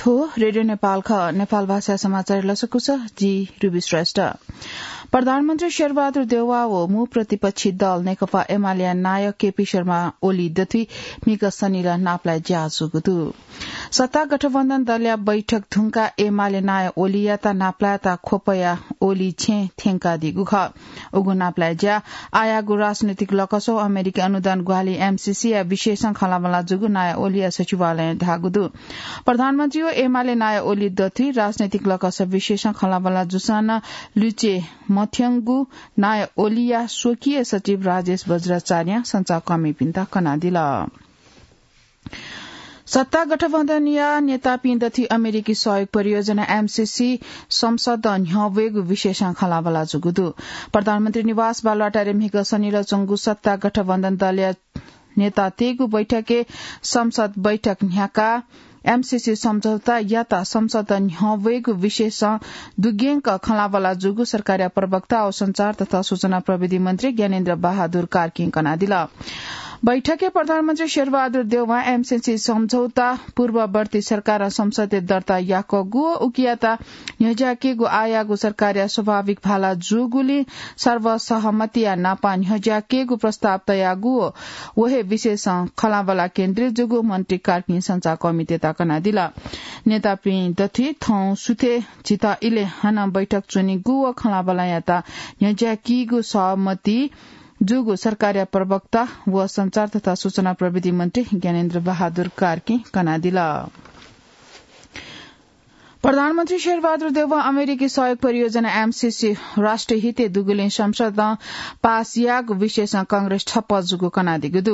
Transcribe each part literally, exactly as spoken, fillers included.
थ्व रेडियो नेपाल खः। नेपाल भाषा समाचार लसकुस, जि रुबी श्रेष्ठ। प्रधानमन्त्री शेरबहादुर देउवा व मू प्रतिपक्षी दल नेकपा एमालेया नायः केपी शर्मा ओली दथुइ म्हिगः शनिलः नापलाये ज्या जूगु दु। सत्ता गठबन्धन दलया बैठक धुंकाः एमाले नायः ओलीयात नापलायेत ख्वपया ओली छेँ थ्यंकादीगु खः। उगु नापलाये ज्या आःयागु राजनैतिक लकसं अमेरिकी अनुदान ग्वाहालि एमसीसी या विशेषं खँल्हाबल्हा जूगु नायः ओलीया सचिवालयं धाःगु दु। प्रधानमन्त्री व एमाले नायः ओली दथुइ राजनैतिक लकस विशेषं खँल्हाबल्हा जूसां नं लुइके मथ्यंगु नायः ओलीया स्वकीय सचिव राजेश वज्राचार्यं सञ्चारकर्मीपिन्त कनादिल। सत्ता गठबन्धनया नेतापिं दथुइ अमेरिकी सहयोग परियोजना एमसीसी संसदं न्ह्यः वयेगु विशेषं खँल्हाबल्हा जूगु दु। प्रधानमन्त्री निवास बालुवाटारय् म्हिगः शनिलः च्वंगु सत्ता गठबन्धन दलया नेतातय्गु बैठकय् संसद बैठक न्ह्याकाः एमसीसी सम्झौतायात संसदं न्ह्यः वयेगु विशेषं दुग्यंक खँल्हाबल्हा जूगु सरकारया प्रवक्ता व सञ्चार तथा सूचना प्रविधि मन्त्री ज्ञानेन्द्र बहादुर कार्कीं कनादिल। बैठकय् प्रधानमन्त्री शेरबहादुर देउवां एमसीसी सम्झौता पूर्ववर्ती सरकारं संसदय् दर्ता याकूगु व उकियात न्ह्यज्याकीगु आःयागु सरकारया स्वाभाविक भाला जूगुलिं सर्वसहमतिया नापं न्ह्यज्याकीगु प्रस्ताव तयागु व व हे विशेषं खँल्हाबल्हा केन्द्रित जूगु मन्त्री कार्कीं सञ्चारकर्मीतय्त कनादिल। नेतापिं दथुइ थौं सुथय् झीत इलय् हानं बैठक च्वनीगु व खँल्हाबल्हायात न्ह्यज्याकीगु सहमति जूगु सरकारया प्रवक्ता व सञ्चार तथा सूचना प्रविधि मन्त्री ज्ञानेन्द्र बहादुर कार्कीं कनादिल। प्रधानमन्त्री शेरबहादुर देउवां अमेरिकी सहयोग परियोजना एमसीसी राष्ट्रिय हितय् दुगुलिं संसदं पास याःगु विषयसं कांग्रेस ठप्प जूगु कनादीगु दु।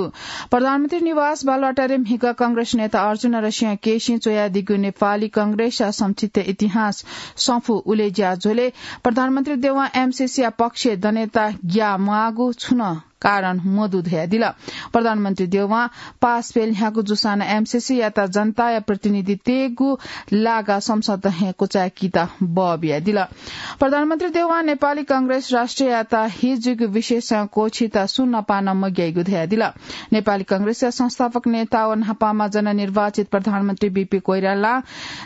प्रधानमन्त्री निवास बालुवाटारय् म्हिगः कांग्रेस नेता अर्जुन नरसिंह केसीं च्वयादीगु नेपाली कांग्रेसया संक्षिप्त इतिहास संफू उलेज्या झ्वलय् प्रधानमन्त्री देउवां एमसीसीया पक्षय् दनेत ग्याः म्वाःगु छुं नं कारण मदु धयादिल। प्रधानमन्त्री देउवां पास फय् ल्ह्यागु जूसां नं एमसीसीयात जनताया प्रतिनिधि तयेगु लागा संसदं हे क्वचाय्कीत बः बियादिल। प्रधानमन्त्री देउवां नेपाली कांग्रेस राष्ट्रियतावादी जूगु विषयसं क्वःछित सुं नपाः नं मग्याइगु धयादिल। नेपाली कांग्रेसया संस्थापक नेता व न्हापांम्ह जननिर्वाचित प्रधानमन्त्री बीपी कोइरालां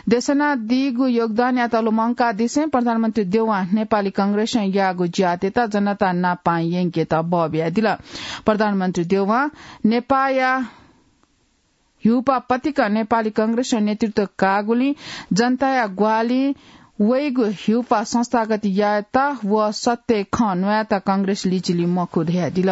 देछानादीगु योगदानयात लुमंकादिसें प्रधानमन्त्री देउवां नेपाली कांग्रेसं याःगु ज्यातय्त जनता नापं यंकेत बः बियादिल। प्रधानमन्त्री देउवां नेपाःया ह्युपाः पतिकं नेपाली कांग्रेसं नेतृत्व काःगुलिं जनताया ग्वाहालिं वइगु ह्युपाः संस्थागत यायेत व सत्य खँ न्वायेत कांग्रेस लिचिली मखु धयादिल।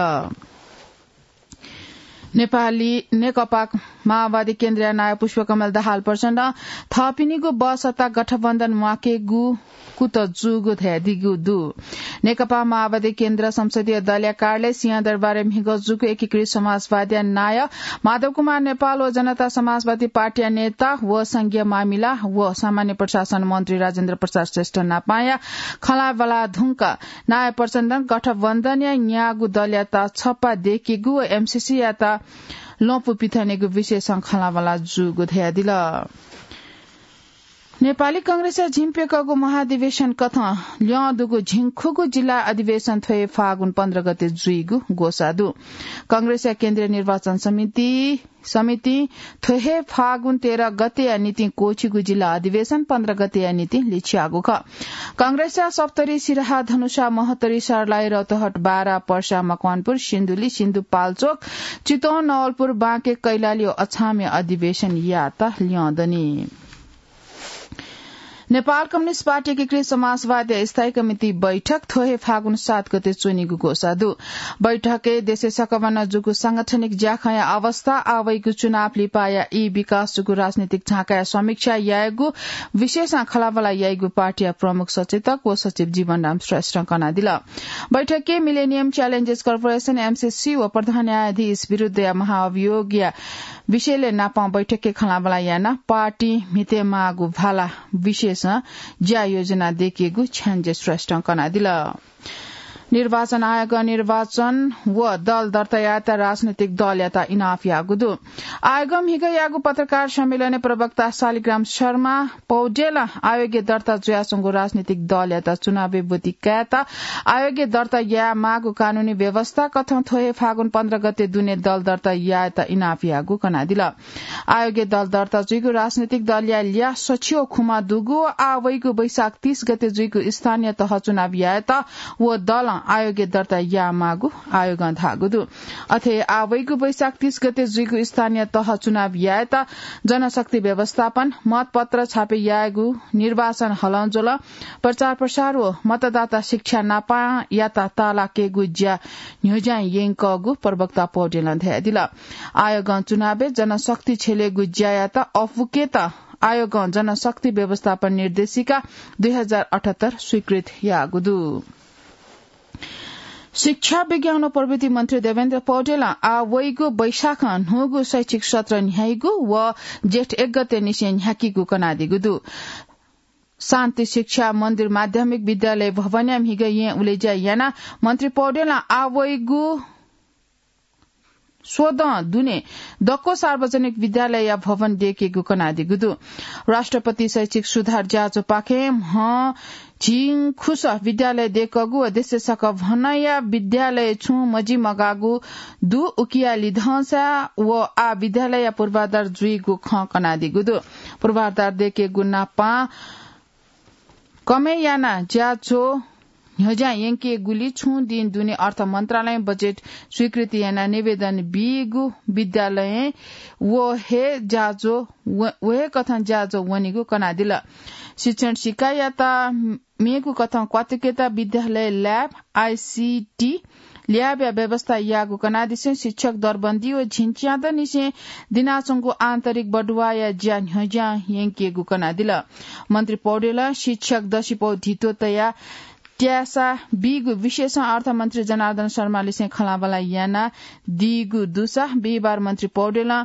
नेपाली नेकपा माओवादी केन्द्रया नायः पुष्पकमल दाहाल प्रचण्डं थःपिनिगु बहसत्ता गठबन्धन म्वाकेगु कुतः जूगु धयादीगु दु। नेकपा माओवादी केन्द्र संसदीय दलया कार्यालय सिंहदरबारय् म्हिगः जूगु एकीकृत समाजवादीया नायः माधव कुमार नेपाल व जनता समाजवादी पार्टीया नेता व संघीय मामिला व सामान्य प्रशासन मन्त्री राजेन्द्र प्रसाद श्रेष्ठ नापंया खँल्हाबल्हा धुंकाः नायः प्रचण्डं गठबन्धनया न्यागू दलयात छप्पा दय्केगु व एमसीसीयात लँपु पिथनेगु विषयसं खँल्हाबल्हा जूगु धयादिल। नेपाली कांग्रेसया झिंप्यकःगु महाधिवेशन कथं ल्यं दुगु झिंखुगू जिल्ला अधिवेशन थ्व हे फागुन पन्ध्र गते जुइगु ग्वसाः दु। कांग्रेसया केन्द्रीय निर्वाचन समिति समितिं थ्व हे फागुन तेह्र गतेया निंतिं क्वःछिगु जिल्ला अधिवेशन पन्ध्र गतेया निंतिं लिछ्याःगु खः। कांग्रेसया सप्तरी, सिराहा, धनुषा, महोत्तरी, सर्लाही, रौतहट, बारा, पर्सा, मकवानपुर, सिन्धुली, सिन्धुपाल्चोक, चितवन, नवलपुर, बाँके, कैलाली व अछामय् अधिवेशन यायेत ल्यं दनि। नेपाल कम्युनिस्ट पार्टी एकीकृत समाजवादया स्थायी कमिटी बैठक थ्व हे फागुन सात गते च्वनीगु ग्वसाः दु। बैठकय् देशय् सकभनं जूगु सांगठनिक ज्याखँया अवस्था, आः वइगु चुनाव लिपाया ई विकास जूगु राजनीतिक झाँकाया समीक्षा यायेगु विषयसं खँल्हाबल्हा याइगु पार्टीया प्रमुख सचेतक व सचिव जीवनराम श्रेष्ठं कनादिल। बैठकय् मिलेनियम च्यालेन्जेस कर्पोरेसन, एमसीसी व प्रधान न्यायाधीश विरुद्धया महाअभियोगया विषयलय् नापं बैठकय् खँल्हाबल्हा यानाः पार्टी म्हितेमाःगु भाला विषयसं ज्या योजना दय्केगु छ्याञ्जे श्रेष्ठं कनादिल। निर्वाचन आयोगं निर्वाचन व दल दर्ता यायेत राजनैतिक दलयात इनाप याःगु दु। आयोगं म्हिगः याःगु पत्रकार सम्मेलनय् प्रवक्ता शालिग्राम शर्मा पौडेलं आयोगय् दर्ता जुयाच्वंगु राजनैतिक दलयात चुनावय् ब्वति कायेत आयोगय् दर्ता याये माःगु कानूनी व्यवस्था कथं थ्व हे फागुन पन्ध्र गते दुने दल दर्ता यायेत इनाप याःगु कनादिल। आयोगय् दल दर्ता जुइगु राजनैतिक दलया ल्याः सछि व खुमा दुगु व आः वइगु वैशाख तीस गते जुइगु स्थानीय तह चुनाव यायेत व दलं आयोगय् दर्ता याये माःगु आयोगं धाःगु दु। अथे आः वइगु वैशाख तीस गते जुइगु स्थानीय तह चुनाव यायेत जनशक्ति व्यवस्थापन, मतपत्र छापे यायेगु, निर्वाचन हलंज्वलं, प्रचार प्रसार व मतदाता शिक्षा नापं यात तालाकेगु ज्या न्ह्यज्यां यंकःगु प्रवक्ता पौडेलं धयादिल। आयोगं चुनावय् जनशक्ति छ्यलेगु ज्यायात अःपुकेत आयोगं जनशक्ति व्यवस्थापन निर्देशिका दुई हजार अठहत्तर स्वीकृत याःगु दु। शिक्षा, विज्ञान व प्रविधि मन्त्री देवेन्द्र पौडेलं आः वइगु वैशाखं न्हूगु शैक्षिक सत्र न्ह्याइगु व जेठ एक गते निसें न्ह्याकीगु कनादीगु दु। शान्ति शिक्षा मन्दिर माध्यमिक विद्यालय भवनया म्हिगः येँ उलेज्या यानाः मन्त्री पौडेलं आः वइगु स्वदँ दुने दक्व सार्वजनिक विद्यालयया भवन दयेकेगु कनादीगु दु। राष्ट्रपति शैक्षिक सुधार ज्याझ्वःपाखें म्ह झिंखुस विद्यालय दयेकःगु व देशय् सकभनया विद्यालय छुं मजिमगाःगु दु। उकिया लिधंसा व आः विद्यालयया पूर्वाधार जुइगु खँ कनादीगु दु। पूर्वाधार दयेकेगु नापं कमय् यानाः ज्याझ्वः न्ह्यज्यां यंकेगुलिं छुं दिं दुने अर्थ मन्त्रालयं बजेट स्वीकृति यानाः निवेदन बीगु विद्यालयं व हे ज्याझ्वः व-, व हे कथं ज्याझ्वः वनीगु कनादिल। शिक्षण सिकायात मेगु कथं क्वातुकेत विद्यालय ल्याब, आइसिटी ल्याबया व्यवस्था याःगु कनादिसें शिक्षक दरबन्दी व झिंच्यादँनिसें दिनाच्वंगु आन्तरिक बढुवाया ज्या न्ह्यज्यां यंकेगु कनादिल। मन्त्री पौडेलं शिक्षक दसिपौ धितो तयाः त्यासा बीगु विषयसं अर्थमन्त्री जनार्दन शर्मालिसें खँल्हाबल्हा यानादीगु दुसा बिहिबार मन्त्री पौडेलं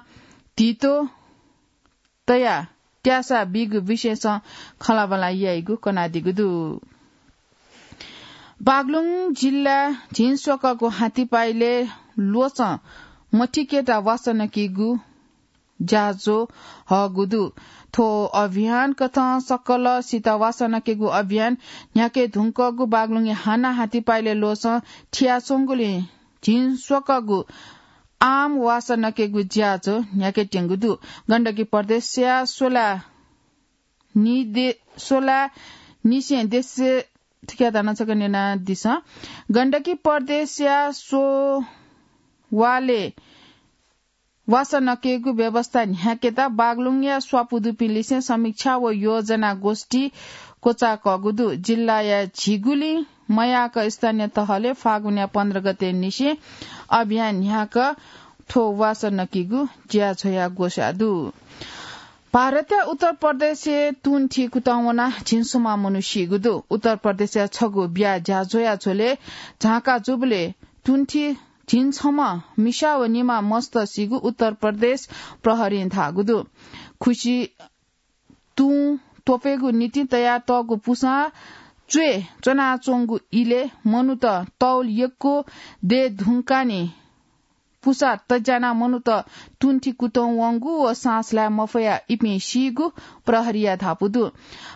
धितो तयाः त्यासा बीगु विषयसं खँल्हाबल्हा याइगु कनादीगु दु। बागलुङ जिल्ला झिंस्वकःगु हाथीपाइलय् ल्वचं मथिकेत वासः नकीगु ज्याझ्वः हःगु दु। थ्व अभियान कथं सकल सित वासः नकेगु अभियान न्ह्याके धुंकःगु बागलुङया हानं हाथीपाइलय् ल्वचं थियाच्वंगुलिं झिंस्वकःगु आम वासः नकेगु ज्याझ्वः न्ह्याकेत्यंगु दु। गण्डकी प्रदेशया सोला निदे-, सोला निसें देशे, थुकिया ताना छकः न्यनादिसँ। गण्डकी प्रदेशया सोवालय् वासः नकेगु व्यवस्था न्ह्याकेत बागलुङया स्वापू दुपिंलिसें समीक्षा व योजना गोष्ठी क्वचाकःगु दु। जिल्लाया झिगुलिं मयाक स्थानीय तहले फागुनया पन्ध्र गते निसें अभियान न्ह्याक थ्व वासः नकीगु ज्याझ्वःया ग्वसाः दु। भारतया उत्तर प्रदेशय् तुंथि कुतः वनाः झिंछम्ह मनू सीगु दु। उत्तर प्रदेशया छगू ब्या ज्याझ्वःया झ्वलय् झांका जूबलय् तुंथि झिंछम्ह मिसा व निम्ह मस्त सीगु उत्तर प्रदेश प्रहरीं धाःगु दु। खुसि तुं त्वपुइगु निंतिं तयातःगु पुसां च्वय् च्वनाच्वंगु इलय् मनूत तौल यक्व दये धुंकाः नं पुसा तज्यानाः मनूत तुंथि कुतः वंगु व सास लाये मफयाः इपिं सीगु प्रहरीया धापू दु।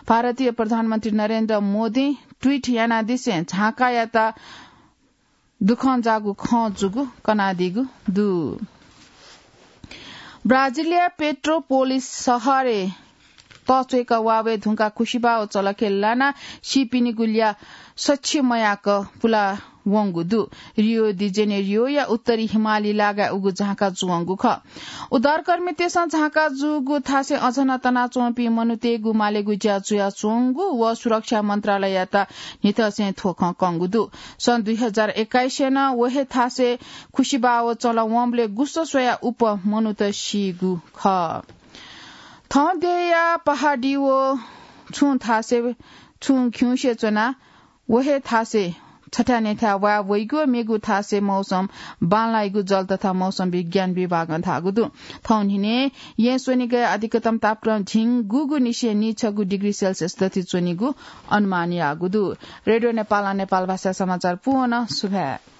भारतीय प्रधानमन्त्री नरेन्द्र मोदीं ट्वीट यानादिसें झांकायात दुःखं जाःगु खँ जूगु कनादीगु दु। ब्राजिलया पेट्रोपोलिस शहरय् तःच्वय्क वाः वये धुंकाः खुसिबाः व चलखे लानाः सीपिनिगु ल्याः सछि मयाक पुला वंगु दु। रियो दि जेनेरियोया उत्तरी हिमाली लागाय् उगु झांका जुवंगु खः। उद्धारकर्मीतय्सं झांका जूगु थासय् अझ नं तनाच्वंपिं मनूतय्गु मालेगु ज्या जुयाच्वंगु व सुरक्षा मन्त्रालययात न्हिथंसें थ्व खँ कंगु दु। सन् दुई हजार एक्काइसय् नं व हे थासय् खुसिबाः व चलं वंबलय् गुसः स्वयाः उप मनूत सीगु खः। थः देय्या पहाडी व छुं थासय् छुं खिउँसे च्वनाः व हे थासय् छथाय् नयेथाय् वाय् वइगु, मेगु थासय् मौसम बांलाइगु जल तथा मौसम विज्ञान विभागं धाःगु दु। थौं न्हिनय् येँ स्वनिगय् अधिकतम तापक्रम झिंगूगु निसें नीछगू डिग्री सेल्सियस दथि च्वनीगु अनुमान याःगु दु। रेडियो नेपालं नेपाल भाषा समाचार पूवन सुभाय्।